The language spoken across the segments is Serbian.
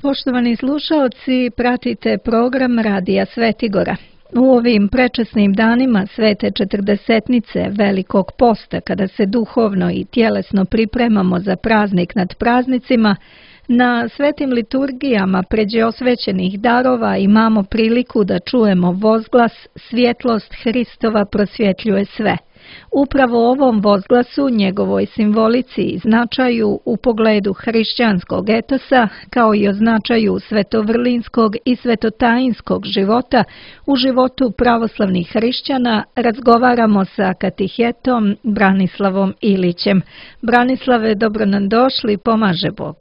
Poštovani slušaoci, pratite program Radija Svetigora. U ovim prečasnim danima Svete Četrdesetnice Velikog posta, kada se duhovno i tjelesno pripremamo za praznik nad praznicima, na svetim liturgijama pređeosvećenih darova imamo priliku da čujemo vozglas "Svjetlost Hristova prosvjetljuje sve". Upravo ovom vozglasu, njegovoj simbolici i značaju u pogledu hrišćanskog etosa, kao i o značaju svetovrlinskog i svetotajinskog života u životu pravoslavnih hrišćana, razgovaramo sa katehetom Branislavom Ilićem. Branislave, dobro nam došli, pomaže Bog.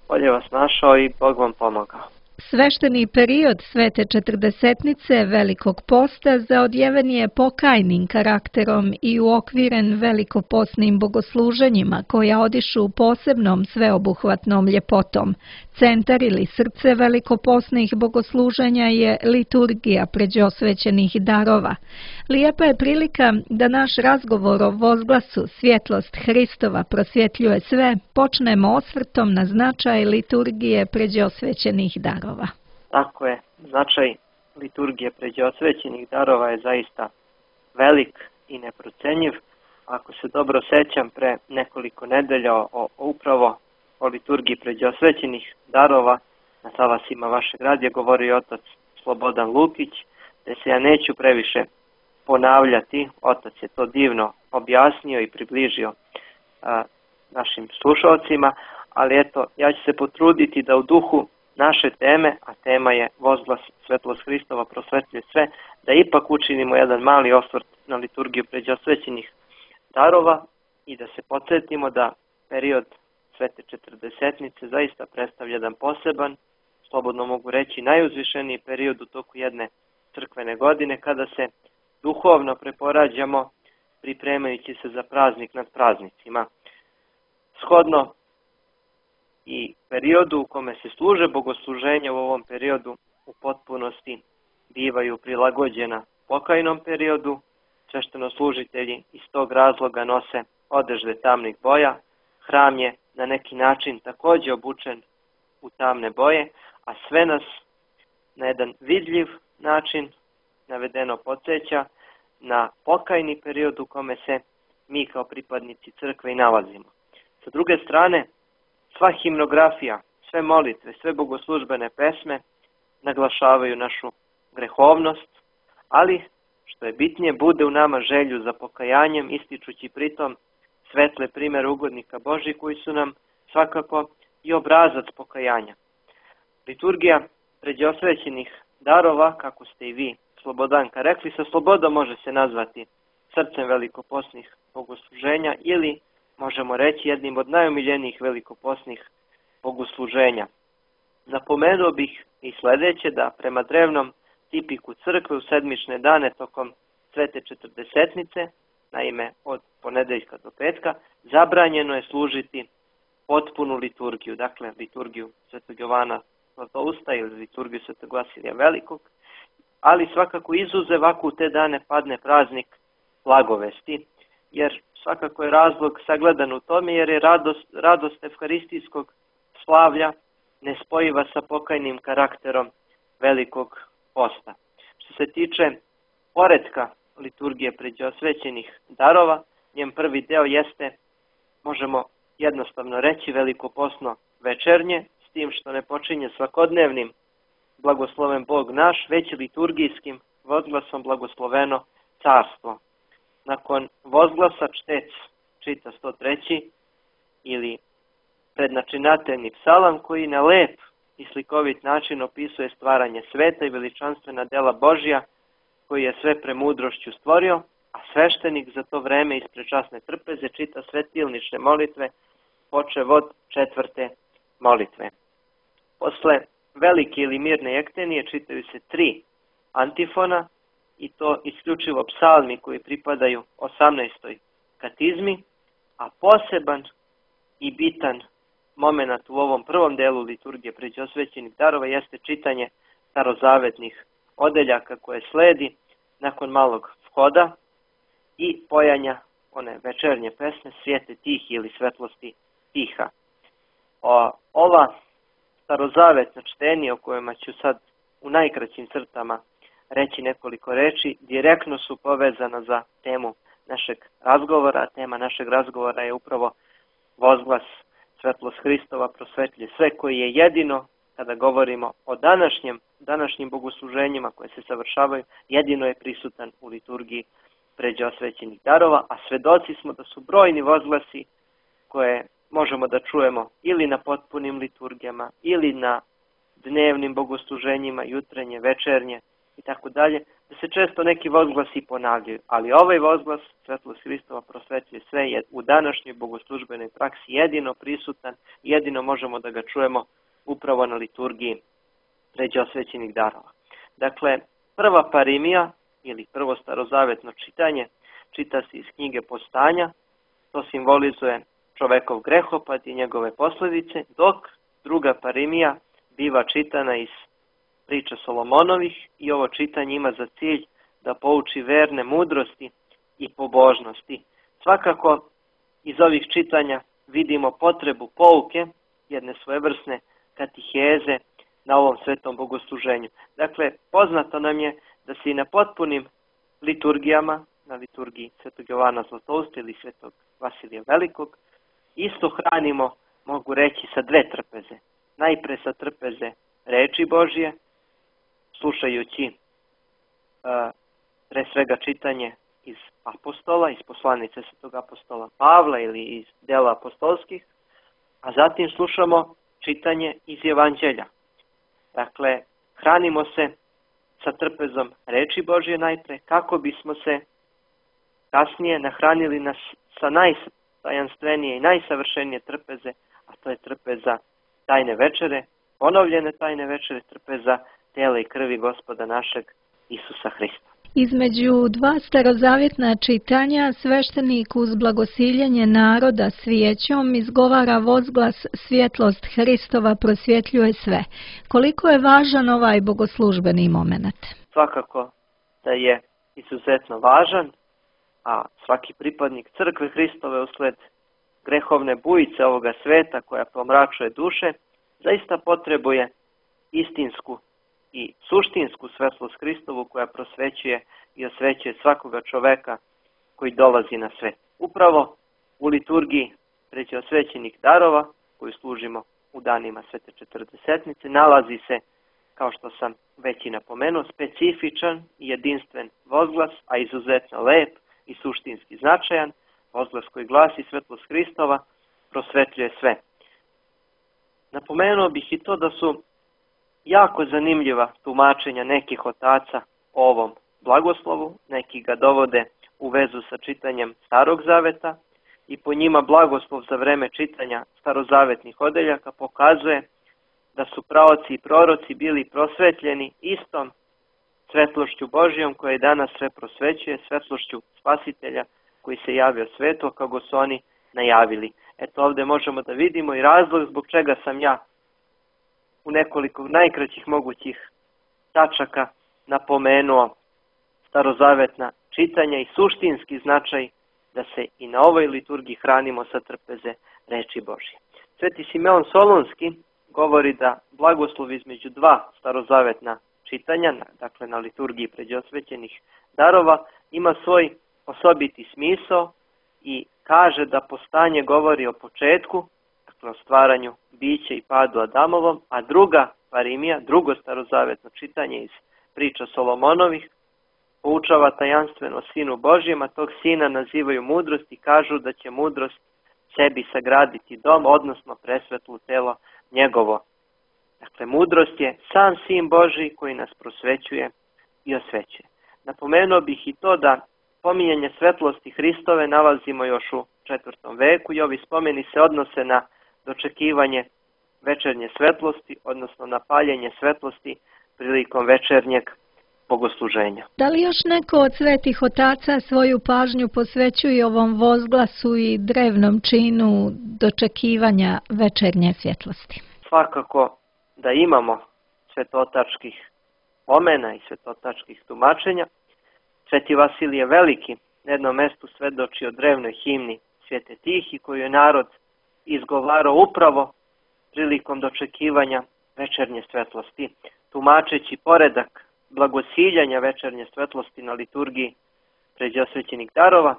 Bolje vas našao i Bog vam pomogao. Svešteni period Svete Četrdesetnice Velikog posta zaodjeven je pokajnim karakterom i uokviren velikoposnim bogosluženjima koja odišu posebnom sveobuhvatnom ljepotom. Centar ili srce velikoposnih bogosluženja je liturgija pređosvećenih darova. Lijepa je prilika da naš razgovor o vozglasu "Svjetlost Hristova prosvjetljuje sve" počnemo osvrtom na značaj liturgije pređosvećenih darova. Tako je, značaj liturgije pređosvećenih darova je zaista velik i neprocenjiv. Ako se dobro sećam, pre nekoliko nedelja upravo o liturgiji pređosvećenih darova na talasima vašeg radija govorio otac Slobodan Lukić, te se ja neću previše ponavljati. Otac je to divno objasnio i približio našim slušalcima, ali eto, ja ću se potruditi da u duhu naše teme, a tema je vozglas "Svjetlost Hristova prosvetljuje sve", da ipak učinimo jedan mali osvrt na liturgiju pređosvećenih darova i da se podsjetimo da period Svete Četrdesetnice zaista predstavlja jedan poseban, slobodno mogu reći najuzvišeniji period u toku jedne crkvene godine, kada se duhovno preporađamo pripremajući se za praznik nad praznicima. Shodno i periodu u kome se služe bogosluženja u ovom periodu u potpunosti bivaju prilagođena pokajnom periodu. Sveštenoslужitelji iz tog razloga nose odežde tamnih boja. Hram je na neki način također obučen u tamne boje, a sve nas na jedan vidljiv način navedeno podsjeća na pokajni period u kome se mi kao pripadnici crkve i nalazimo. Sa druge strane, sva himnografija, sve molitve, sve bogoslužbene pesme naglašavaju našu grehovnost, ali što je bitnije, bude u nama želju za pokajanjem, ističući pritom svetle primjere ugodnika Božji koji su nam svakako i obrazac pokajanja. Liturgija pređosvećenih darova, kako ste i vi, Slobodanka, rekli, sa slobodom može se nazvati srcem velikoposnih bogosluženja ili možemo reći jednim od najomiljenijih velikoposnih bogosluženja. Napomenuo bih i sljedeće, da prema drevnom tipiku crkve u sedmične dane tokom Svete Četrdesetnice, naime od ponedeljka do petka, zabranjeno je služiti potpunu liturgiju, dakle liturgiju Svetog Jovana Zlatousta ili liturgiju Svetog Vasilija Velikog, ali svakako izuzev ako u te dane padne praznik Blagovesti, jer svakako je razlog sagledan u tome, jer je radost evharistijskog slavlja nespojiva sa pokajnim karakterom Velikog posta. Što se tiče poretka liturgije pređosvećenih darova, njen prvi deo jeste, možemo jednostavno reći, velikoposno večernje, s tim što ne počinje svakodnevnim blagosloven Bog naš, već liturgijskim vozglasom blagosloveno carstvo. Nakon vozglasa čtec čita 103. ili prednačinateljni psalam koji na lep i slikovit način opisuje stvaranje sveta i veličanstvena dela Božja koji je sve premudrošću stvorio, a sveštenik za to vreme ispred časne trpeze čita svetilnične molitve počev od 4. molitve. Posle velike ili mirne jektenije čitaju se 3 antifona i to isključivo psalmi koji pripadaju 18. katizmi, a poseban i bitan moment u ovom prvom delu liturgije pređosvećenih darova jeste čitanje starozavetnih odeljaka koje sledi nakon malog vhoda i pojanja one večernje pesme Svijete tihi ili Svetlosti tiha. Ova starozavetna čtenja o kojima ću sad u najkraćim crtama reći nekoliko reči, direktno su povezana za temu našeg razgovora. Tema našeg razgovora je upravo vozglas Svetlost Hristova prosvetljuje sve, koji je jedino, kada govorimo o današnjim bogosluženjima koje se savršavaju, jedino je prisutan u liturgiji pređosvećenih darova, a svedoci smo da su brojni vozglasi koje možemo da čujemo ili na potpunim liturgijama, ili na dnevnim bogosluženjima, jutrenje, večernje i tako dalje, da se često neki vozglasi ponavljaju, ali ovaj vozglas Svetlost Hristova prosvetljuje sve je u današnjoj bogoslužbenoj praksi jedino prisutan, jedino možemo da ga čujemo upravo na liturgiji pređosvećenih darova. Dakle, prva parimija ili prvo starozavetno čitanje čita se iz knjige Postanja, to simbolizuje čovekov grehopad i njegove posljedice, dok druga parimija biva čitana iz priča Solomonovih i ovo čitanje ima za cilj da pouči verne mudrosti i pobožnosti. Svakako iz ovih čitanja vidimo potrebu pouke, jedne svojevrsne katiheze na ovom svetom bogosluženju. Dakle, poznato nam je da se i na potpunim liturgijama, na liturgiji Svetog Jovana Zlatousta ili Svetog Vasilija Velikog, isto hranimo, mogu reći, sa 2 trpeze. Najpre sa trpeze reči Božje, slušajući pre svega čitanje iz apostola, iz poslanice Svetog apostola Pavla ili iz dela apostolskih, a zatim slušamo čitanje iz Evanđelja. Dakle, hranimo se sa trpezom reči Božje najpre, kako bismo se kasnije nahranili sa najtajanstvenije i najsavršenije trpeze, a to je trpeza tajne večere, ponovljene tajne večere, trpeza tela i krvi Gospoda našeg Isusa Hrista. Između 2 starozavjetna čitanja sveštenik uz blagosiljenje naroda svijećom izgovara vozglas Svjetlost Hristova prosvjetljuje sve. Koliko je važan ovaj bogoslužbeni moment? Svakako da je izuzetno važan, a svaki pripadnik crkve Hristove usled grehovne bujice ovoga sveta koja pomračuje duše, zaista potrebuje istinsku i suštinsku svetlost Hristovu koja prosvećuje i osvećuje svakoga čoveka koji dolazi na svet. Upravo u liturgiji pređosvećenih darova koju služimo u danima Svete Četrdesetnice nalazi se, kao što sam već i napomenuo, specifičan i jedinstven vozglas, a izuzetno lep i suštinski značajan, vozglas koji glasi Svetlost Hristova prosvetljuje sve. Napomenuo bih i to da su jako zanimljiva tumačenja nekih otaca o ovom blagoslovu, neki ga dovode u vezu sa čitanjem Starog Zaveta i po njima blagoslov za vreme čitanja starozavetnih odeljaka pokazuje da su praoci i proroci bili prosvetljeni istom svetlošću Božijom koja je danas sve prosvećuje, svetlošću Spasitelja koji se javio svetu kako su oni najavili. Eto, ovdje možemo da vidimo i razlog zbog čega sam ja u nekoliko najkraćih mogućih tačaka napomenuo starozavetna čitanja i suštinski značaj da se i na ovoj liturgiji hranimo sa trpeze reči Božje. Sveti Simeon Solunski govori da blagoslov između 2 starozavetna čitanja, dakle na liturgiji pređosvećenih darova, ima svoj osobiti smisao i kaže da postanje govori o početku, o stvaranju bića i padu Adamovom, a druga parimija, drugo starozavetno čitanje iz priča Solomonovih, poučava tajanstveno o Sinu Božjem, a tog Sina nazivaju mudrost i kažu da će mudrost sebi sagraditi dom, odnosno presvetlo telo njegovo. Dakle, mudrost je sam Sin Božji koji nas prosvećuje i osvećuje. Napomenuo bih i to da pominjanje svetlosti Hristove nalazimo još u 4. veku i ovi spomeni se odnose na dočekivanje večernje svetlosti, odnosno na paljenje svetlosti prilikom večernjeg bogosluženja. Da li još neko od svetih otaca svoju pažnju posvećuje ovom vozglasu i drevnom činu dočekivanja večernje svjetlosti? Svakako da imamo svetotačkih pomena i svetotačkih tumačenja. Sveti Vasilije Veliki na jednom mestu svedoči o drevnoj himni Svete Tihi koju je narod izgovarao upravo prilikom dočekivanja večernje svetlosti, tumačeći poredak blagosiljanja večernje svetlosti na liturgiji pređeosvećenih darova.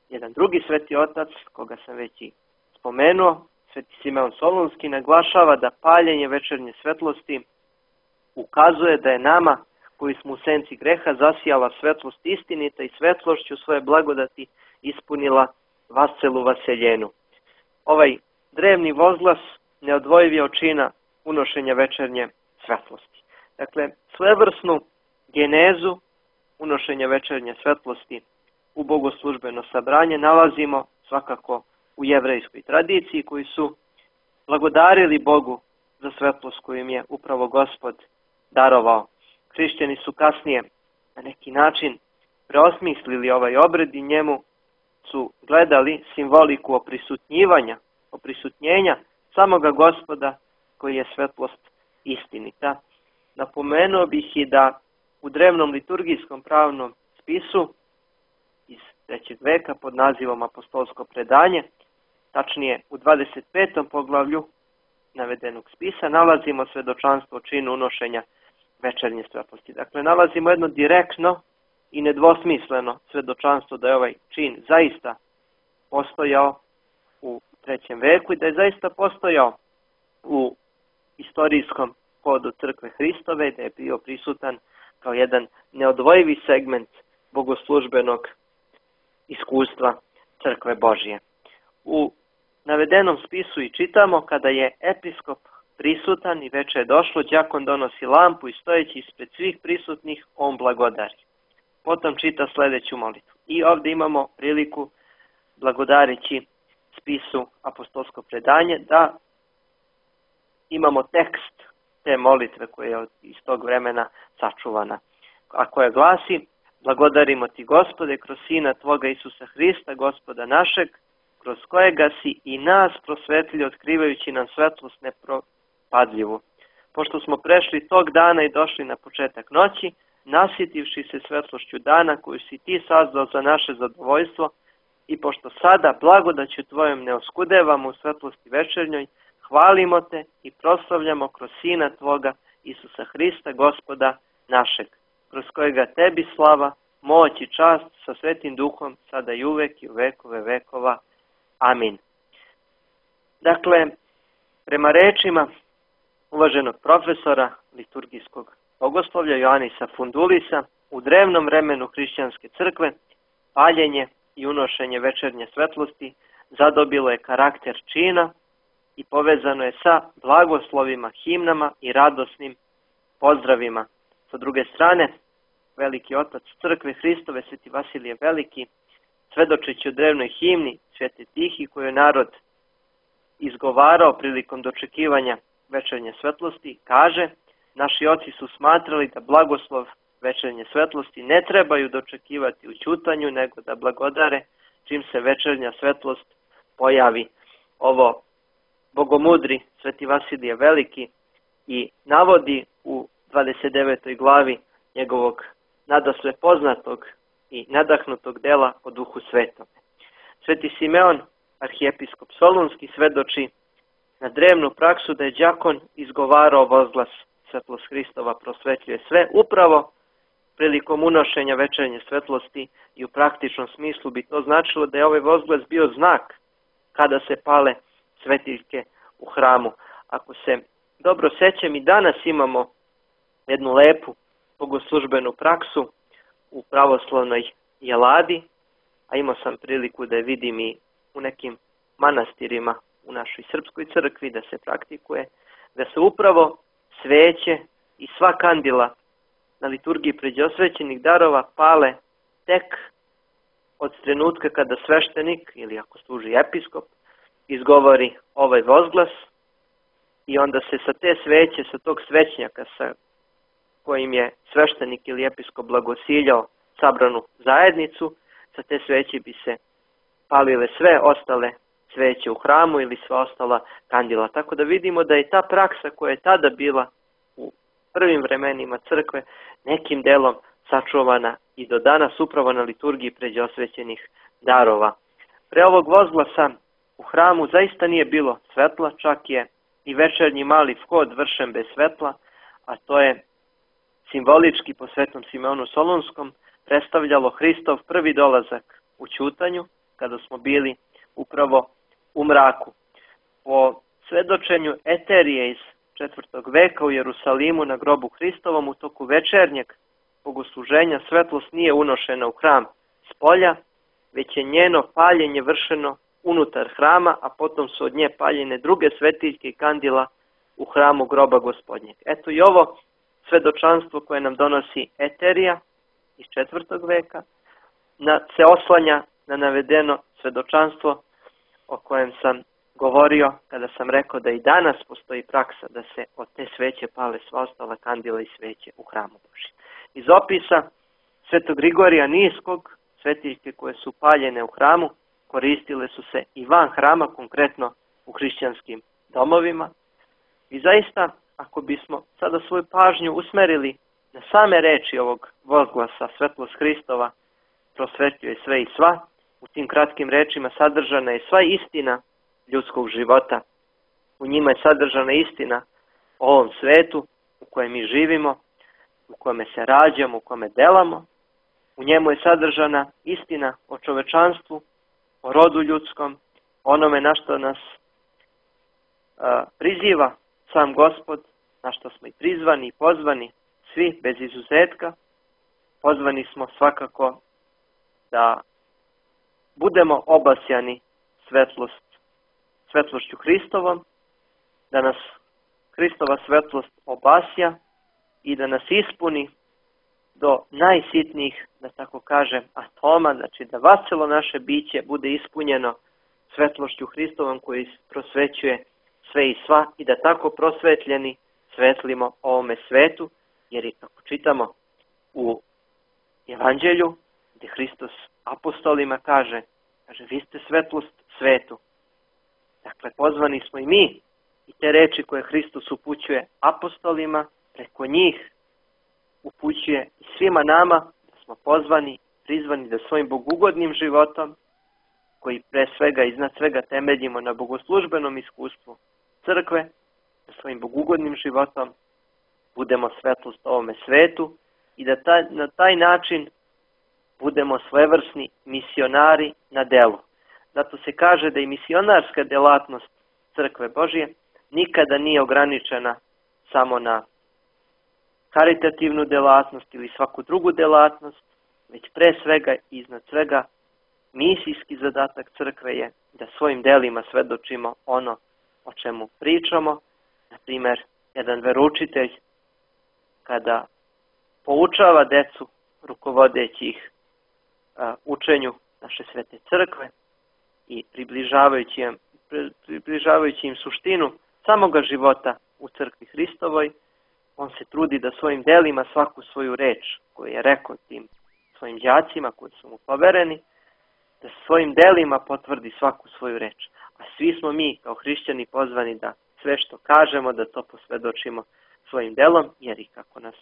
Jedan drugi sveti otac, koga sam već i spomenuo, Sveti Simeon Solunski, naglašava da paljenje večernje svetlosti ukazuje da je nama, koji smo u senci greha, zasijala svetlost istinita i svetlošću svoje blagodati ispunila vascelu vaseljenu. Ovaj drevni vozglas neodvojiv je od čina unošenja večernje svetlosti. Dakle, svevrsnu genezu unošenja večernje svetlosti u bogoslužbeno sabranje nalazimo svakako u jevrejskoj tradiciji, koji su blagodarili Bogu za svetlost koju im je upravo Gospod darovao. Hrišćani su kasnije na neki način preosmislili ovaj obred i njemu su gledali simboliku oprisutnjenja samoga Gospoda koji je svetlost istinita. Napomenuo bih i da u drevnom liturgijskom pravnom spisu iz 3. veka pod nazivom Apostolsko predanje, tačnije u 25. poglavlju navedenog spisa, nalazimo svedočanstvo o činu unošenja večernje svetlosti. Dakle, nalazimo jedno direktno i nedvosmisleno svedočanstvo da je ovaj čin zaista postojao u 3. veku i da je zaista postojao u istorijskom hodu Crkve Hristove, da je bio prisutan kao jedan neodvojivi segment bogoslužbenog iskustva Crkve Božje. U navedenom spisu i čitamo: kada je episkop prisutan i veče je došlo, đakon donosi lampu i stojeći ispred svih prisutnih on blagodari. Potom čita sljedeću molitvu. I ovdje imamo priliku, blagodareći spisu Apostolsko predanje, da imamo tekst te molitve koja je iz tog vremena sačuvana, a koja glasi: blagodarimo ti, Gospode, kroz Sina tvoga Isusa Hrista, Gospoda našeg, kroz kojega si i nas prosvetlio, otkrivajući nam svetlost nepropadljivu. Pošto smo prešli tog dana i došli na početak noći, nasjetivši se svetlošću dana koju si ti sazdao za naše zadovoljstvo, i pošto sada blagodaću tvojom ne oskudevamo u svetlosti večernjoj, hvalimo te i proslavljamo kroz Sina tvoga Isusa Hrista, Gospoda našeg, kroz kojega tebi slava, moć i čast sa Svetim Duhom, sada i uvek i u vekove vekova. Amin. Dakle, prema rečima uvaženog profesora liturgijskog bogoslovlja Joanisa Fundulisa, u drevnom vremenu hrišćanske crkve paljenje i unošenje večernje svetlosti zadobilo je karakter čina i povezano je sa blagoslovima, himnama i radosnim pozdravima. Sa druge strane, veliki otac Crkve Hristove, Sveti Vasilije Veliki, svedočeći o drevnoj himni Svete Tihi koju je narod izgovarao prilikom dočekivanja večernje svetlosti, kaže: naši oci su smatrali da blagoslov večernje svetlosti ne trebaju dočekivati u ćutanju, nego da blagodare čim se večernja svetlost pojavi. Ovo bogomudri Sveti Vasilije Veliki i navodi u 29. glavi njegovog nadasve poznatog i nadahnutog dela o Duhu Svetom. Sveti Simeon, arhijepiskop Solunski, svedoči na drevnu praksu da je đakon izgovarao vozglas: svetlost Hristova prosvetljuje sve, upravo prilikom unošenja večernje svetlosti, i u praktičnom smislu bi to značilo da je ovaj vozglas bio znak kada se pale svetiljke u hramu. Ako se dobro sećam, i danas imamo jednu lepu bogoslužbenu praksu u pravoslavnoj jeladi, a imao sam priliku da je vidim i u nekim manastirima u našoj srpskoj crkvi da se praktikuje, da se upravo sveće i sva kandila na liturgiji pređosvećenih darova pale tek od trenutka kada sveštenik, ili ako služi episkop, izgovori ovaj vozglas, i onda se sa te sveće, sa tog svećnjaka sa kojim je sveštenik ili episkop blagosiljao sabranu zajednicu, sa te sveće bi se palile sve ostale sveće u hramu ili sva ostala kandila. Tako da vidimo da je ta praksa koja je tada bila u prvim vremenima crkve nekim delom sačuvana i do danas upravo na liturgiji pređosvećenih darova. Pre ovog vozglasa u hramu zaista nije bilo svetla, čak je i večernji mali vhod vršen bez svetla, a to je simbolički po Svetom Simeonu Solunskom predstavljalo Hristov prvi dolazak u ćutanju, kada smo bili upravo u mraku. Po svedočenju Eterije iz 4. veka u Jerusalimu na grobu Hristovom, u toku večernjeg bogosluženja svetlost nije unošena u hram s polja, već je njeno paljenje vršeno unutar hrama, a potom su od nje paljene druge svetiljke i kandila u hramu groba Gospodnjeg. Eto i ovo svedočanstvo koje nam donosi Eterija iz 4. veka se oslanja na navedeno svedočanstvo o kojem sam govorio kada sam rekao da i danas postoji praksa da se od te sveće pale sva ostala kandila i sveće u hramu Božjem. Iz opisa Svetog Grigorija Niskog, svetiljke koje su paljene u hramu koristile su se i van hrama, konkretno u hrišćanskim domovima. I zaista, ako bismo sada svoju pažnju usmerili na same reči ovog vozglasa svetlost Hristova prosvetljuje sve i sva, u tim kratkim rečima sadržana je sva istina ljudskog života. U njima je sadržana istina o ovom svetu u kojem mi živimo, u kome se rađamo, u kome delamo. U njemu je sadržana istina o čovečanstvu, o rodu ljudskom, onome na što nas priziva sam Gospod, na što smo i prizvani i pozvani, svi bez izuzetka. Pozvani smo svakako da budemo obasjani svetlošću Hristovom, da nas Hristova svetlost obasja i da nas ispuni do najsitnijih, da tako kažem, atoma, znači da vacelo naše biće bude ispunjeno svetlošću Hristovom koji prosvećuje sve i sva, i da tako prosvetljeni svetlimo ovome svetu, jer i kako čitamo u Evanđelju, gdje Hristos apostolima kaže, vi ste svetlost svetu. Dakle, pozvani smo i mi, i te reči koje Hristos upućuje apostolima, preko njih upućuje i svima nama, da smo pozvani, prizvani da svojim bogugodnim životom, koji pre svega iznad svega temeljimo na bogoslužbenom iskustvu crkve, da svojim bogugodnim životom budemo svetlost ovome svetu i da na taj način budemo svojevrsni misionari na delu. Zato se kaže da i misionarska delatnost Crkve Božje nikada nije ograničena samo na karitativnu delatnost ili svaku drugu delatnost, već pre svega i iznad svega misijski zadatak crkve je da svojim delima svedočimo ono o čemu pričamo. Na primjer, jedan veroučitelj kada poučava decu rukovodeći ih učenju naše svete crkve i približavajući im suštinu samoga života u crkvi Hristovoj, on se trudi da svojim delima svaku svoju reč koju je rekao tim svojim đacima koji su mu povereni, da svojim delima potvrdi svaku svoju reč. A svi smo mi kao hrišćani pozvani da sve što kažemo, da to posvedočimo svojim delom, jer i kako nas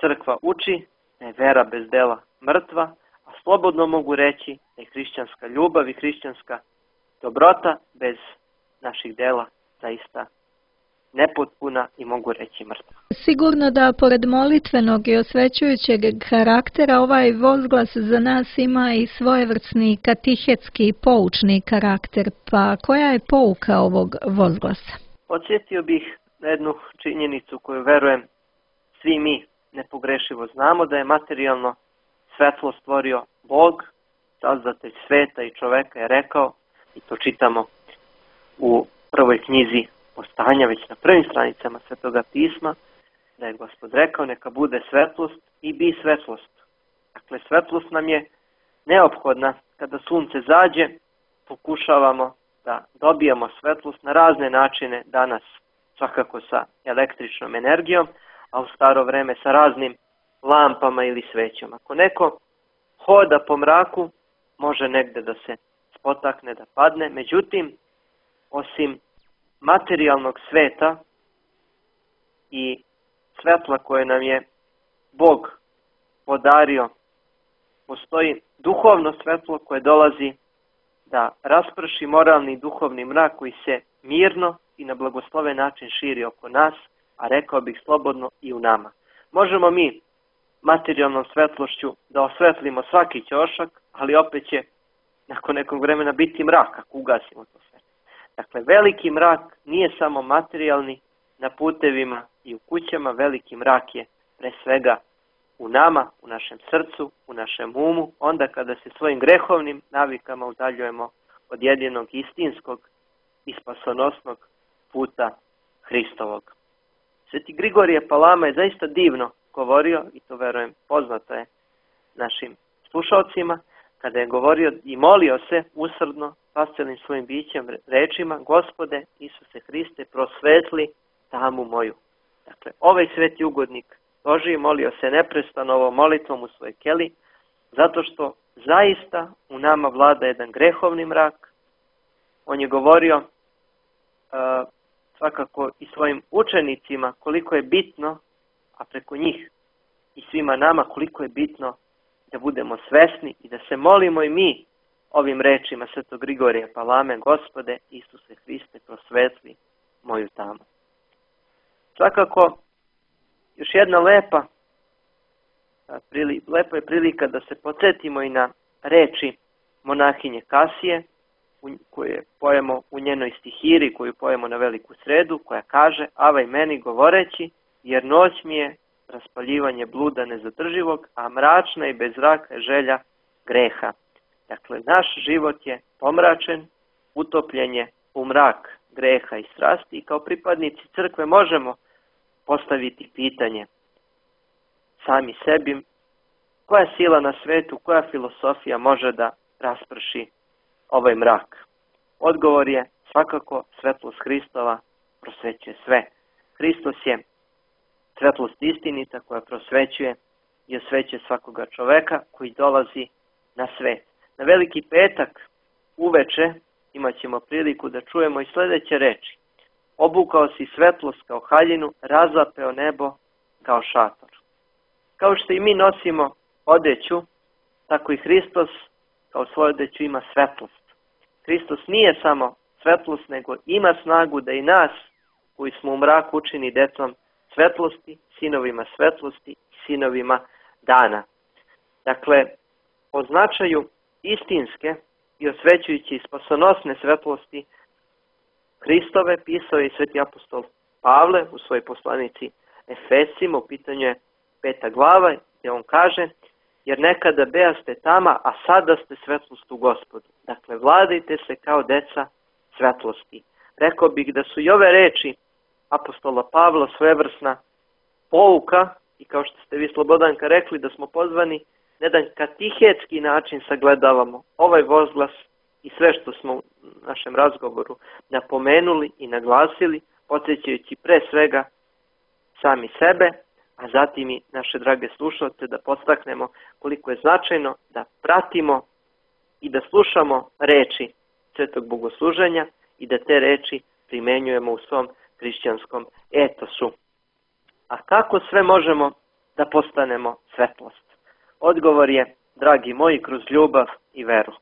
crkva uči, da je vera bez dela mrtva, a slobodno mogu reći da je hrišćanska ljubav i hrišćanska dobrota bez naših dela zaista nepotpuna i mogu reći mrtva. Sigurno da pored molitvenog i osvećujućeg karaktera ovaj vozglas za nas ima i svojevrsni katehetski poučni karakter, pa koja je pouka ovog vozglasa? Podsjetio bih na jednu činjenicu koju verujem svi mi nepogrešivo znamo, da je materijalno svetlo stvorio Bog, Sazdatelj sveta i čoveka je rekao, i to čitamo u prvoj knjizi Postanja, već na prvim stranicama Svetoga pisma, da je Gospod rekao neka bude svetlost i bi svetlost. Dakle, svetlost nam je neophodna. Kada sunce zađe, pokušavamo da dobijamo svetlost na razne načine danas, svakako sa električnom energijom, a u staro vreme sa raznim lampama ili svećama. Ako neko hoda po mraku, može negde da se spotakne, da padne. Međutim, osim materijalnog sveta i svetla koje nam je Bog podario, postoji duhovno svetlo koje dolazi da rasprši moralni i duhovni mrak koji se mirno i na blagosloven način širi oko nas, a rekao bih slobodno i u nama. Možemo mi materijalnom svetlošću da osvetlimo svaki ćošak, ali opet će nakon nekog vremena biti mrak ako ugasimo to sve. Dakle, veliki mrak nije samo materijalni na putevima i u kućama, veliki mrak je pre svega u nama, u našem srcu, u našem umu, onda kada se svojim grehovnim navikama udaljujemo od jedinog istinskog i spasonosnog puta Hristovog. Sveti Grigorije Palama je zaista divno govorio, i to verujem poznato je našim slušalcima, kada je govorio i molio se usrdno pascelim svojim bićem rečima: Gospode Isuse Hriste, prosvetli tamu moju. Dakle, ovaj sveti ugodnik Božiji molio se neprestano ovom molitvom u svojoj keli, zato što zaista u nama vlada jedan grehovni mrak. On je govorio svakako i svojim učenicima koliko je bitno, a preko njih i svima nama koliko je bitno da budemo svesni i da se molimo i mi ovim rečima Svetog Grigorija Palame: Gospode Isuse Hriste, prosvetli moju tamu. Svakako, još jedna lepa je prilika da se podsjetimo i na reči monahinje Kasije, koje pojemo u njenoj stihiri, koju pojemo na Veliku sredu, koja kaže: Avaj meni govoreći, jer noć mi je raspaljivanje bluda nezadrživog, a mračna i bez zraka je želja greha. Dakle, naš život je pomračen, utopljen je u mrak greha i strasti, i kao pripadnici crkve možemo postaviti pitanje sami sebi: koja sila na svetu, koja filosofija može da rasprši ovaj mrak? Odgovor je svakako svetlost Hristova prosvećuje sve. Hristos je svetlost istinita koja prosvećuje i osvećuje svakoga čoveka koji dolazi na svet. Na Veliki petak uveče imat ćemo priliku da čujemo i sljedeće reči: obukao si svetlost kao haljinu, razapeo nebo kao šator. Kao što i mi nosimo odeću, tako i Hristos kao svoju odeću ima svetlost. Hristos nije samo svetlost, nego ima snagu da i nas, koji smo u mraku, učini decom svetlosti, sinovima svetlosti, sinovima dana. Dakle, o značaju istinske i osvećujući i spasonosne svetlosti Hristove pisao je i sveti apostol Pavle u svojoj poslanici Efesima, u pitanju je 5. glava, gdje on kaže: jer nekada bejaste tama, a sada ste svetlost u Gospodu. Dakle, vladajte se kao deca svetlosti. Rekao bih da su i ove reči apostola Pavla svojevrsna pouka, i kao što ste vi, Slobodanka, rekli, da smo pozvani na jedan katehetski način sagledavamo ovaj vozglas i sve što smo u našem razgovoru napomenuli i naglasili, podsjećajući pre svega sami sebe, a zatim i naše drage slušalce, da podstaknemo koliko je značajno da pratimo i da slušamo reči svetog bogosluženja i da te reči primenjujemo u svom hrišćanskom etosu. A kako sve možemo da postanemo svetlost? Odgovor je, dragi moji, kroz ljubav i veru.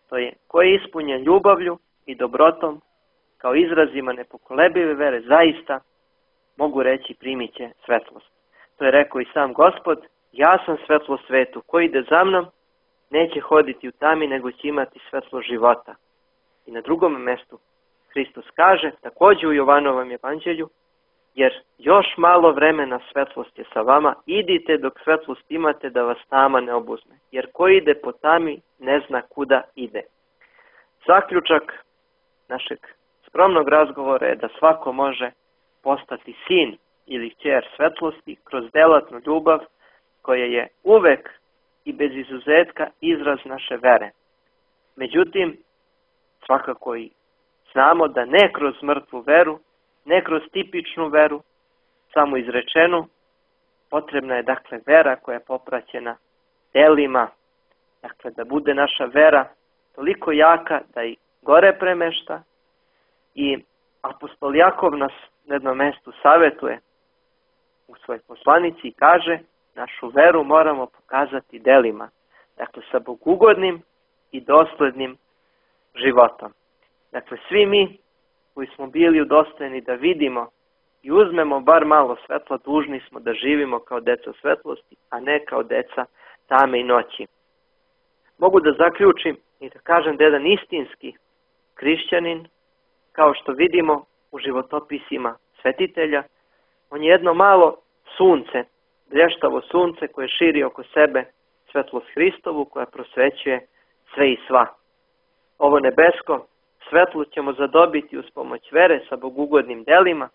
To je ko je ispunjen ljubavlju i dobrotom kao izrazima nepokolebive vere, zaista mogu reći primit će svetlost. To je rekao i sam Gospod, ja sam svetlo svetu, ko ide za mnom neće hoditi u tami, nego će imati svetlo života. I na drugom mjestu Hristos kaže, također u Jovanovom evanđelju, jer još malo vremena svetlost je sa vama, idite dok svetlost imate da vas tama ne obuzme, jer ko ide po tami ne zna kuda ide. Zaključak našeg skromnog razgovora je da svako može postati sin ili kćer svetlosti kroz delatnu ljubav koja je uvek i bez izuzetka izraz naše vere. Međutim, svakako i znamo da ne kroz mrtvu veru, ne kroz tipičnu veru, samo izrečenu, potrebna je dakle vera koja je popraćena delima, dakle da bude naša vera toliko jaka da i gore premešta. I apostol Jakov nas na jednom mjestu savjetuje u svojoj poslanici i kaže, našu veru moramo pokazati delima, dakle sa bogugodnim i doslednim životom. Dakle, svi mi koji smo bili udostojeni da vidimo i uzmemo bar malo svetla, dužni smo da živimo kao deca svetlosti, a ne kao deca tame i noći. Mogu da zaključim i da kažem da jedan istinski hrišćanin, kao što vidimo u životopisima svetitelja, on je jedno malo sunce, blještavo sunce koje širi oko sebe svetlost Hristovu koja prosvećuje sve i sva. Ovo nebesko svetlo ćemo zadobiti uz pomoć vere sa bogugodnim delima,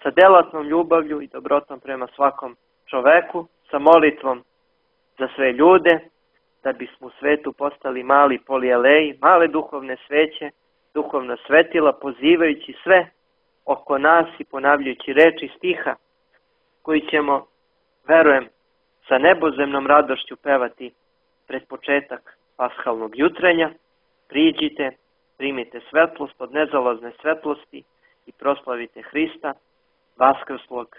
sa delatnom ljubavlju i dobrotom prema svakom čoveku, sa molitvom za sve ljude, da bismo u svetu postali mali polieleji, male duhovne sveće, duhovna svetila, pozivajući sve oko nas i ponavljajući reči stiha koji ćemo, verujem, sa nebozemnom radošću pevati pred početak pashalnog jutrenja. Priđite, primite svetlost od nezalazne svetlosti i proslavite Hrista, vaskrslog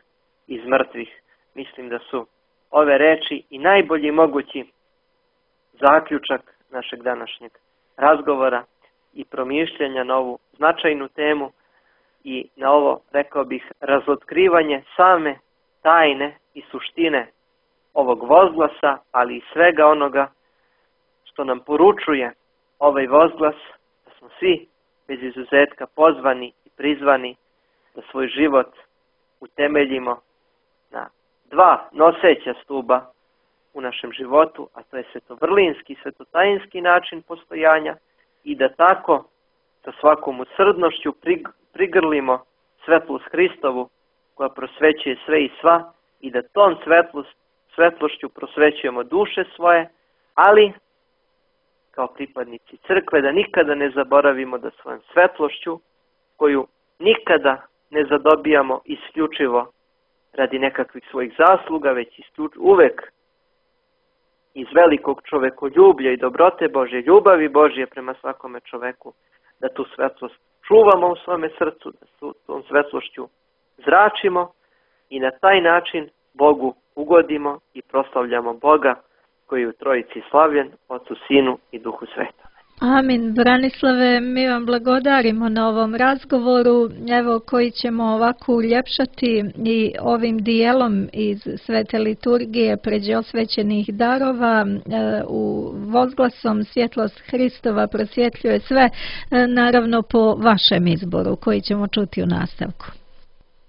iz mrtvih. Mislim da su ove reči i najbolji mogući zaključak našeg današnjeg razgovora i promišljanja na ovu značajnu temu i na ovo, rekao bih, razotkrivanje same tajne i suštine ovog vozglasa, ali i svega onoga što nam poručuje ovaj vozglas, da smo svi bez izuzetka pozvani i prizvani da svoj život utemeljimo na dva noseća stuba u našem životu, a to je svetovrlinski, svetotajinski način postojanja i da tako sa svakom usrdnošću prigrlimo svetlost Hristovu koja prosvećuje sve i sva i da tom svetlošću prosvećujemo duše svoje, ali kao pripadnici crkve da nikada ne zaboravimo da svojom svetlošću, koju nikada ne zadobijamo isključivo radi nekakvih svojih zasluga, već uvek iz velikog čovekoljublja i dobrote Božje, ljubavi Božje prema svakome čoveku, da tu svetlost čuvamo u svome srcu, da tom svetlošću zračimo i na taj način Bogu ugodimo i proslavljamo Boga koji je u Trojici slavljen, Otcu, Sinu i Duhu Svetom. Amin. Branislave, mi vam blagodarimo na ovom razgovoru, evo koji ćemo ovako uljepšati i ovim dijelom iz Svete liturgije pređe osvećenih darova u vozglasom svjetlost Hristova prosvjetljuje sve, naravno po vašem izboru koji ćemo čuti u nastavku.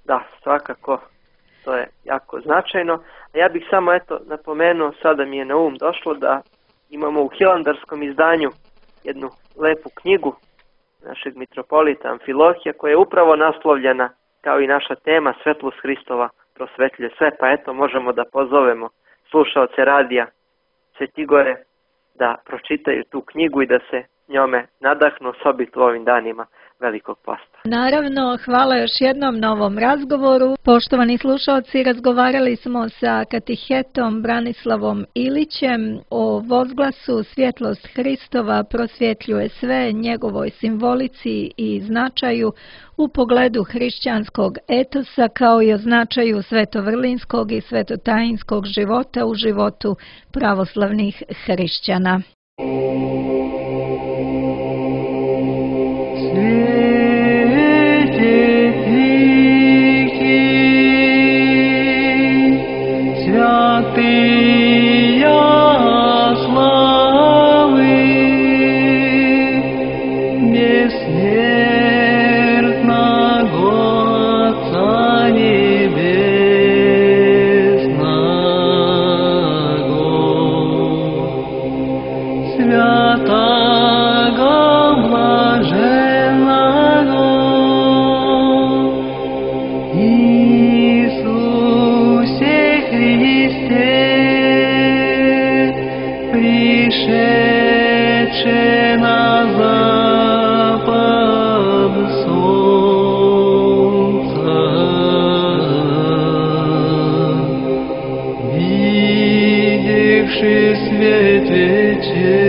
Da, svakako, to je jako značajno. A ja bih samo napomenuo, sada mi je na došlo da imamo u hilandarskom izdanju jednu lepu knjigu našeg mitropolita Amfilohija koja je upravo naslovljena kao i naša tema Svetlost Hristova prosvetljuje sve, pa eto možemo da pozovemo slušaoce radija Svetigore da pročitaju tu knjigu i da se njome nadahnu osobito u ovim danima Velikog posta. Naravno, hvala još jednom na ovom razgovoru. Poštovani slušalci, razgovarali smo sa katehetom Branislavom Ilićem o vozglasu Svjetlost Hristova prosvjetljuje sve, njegovoj simbolici i značaju u pogledu hrišćanskog etosa kao i o značaju svetovrlinskog i svetotajinskog života u životu pravoslavnih hrišćana. Svijet to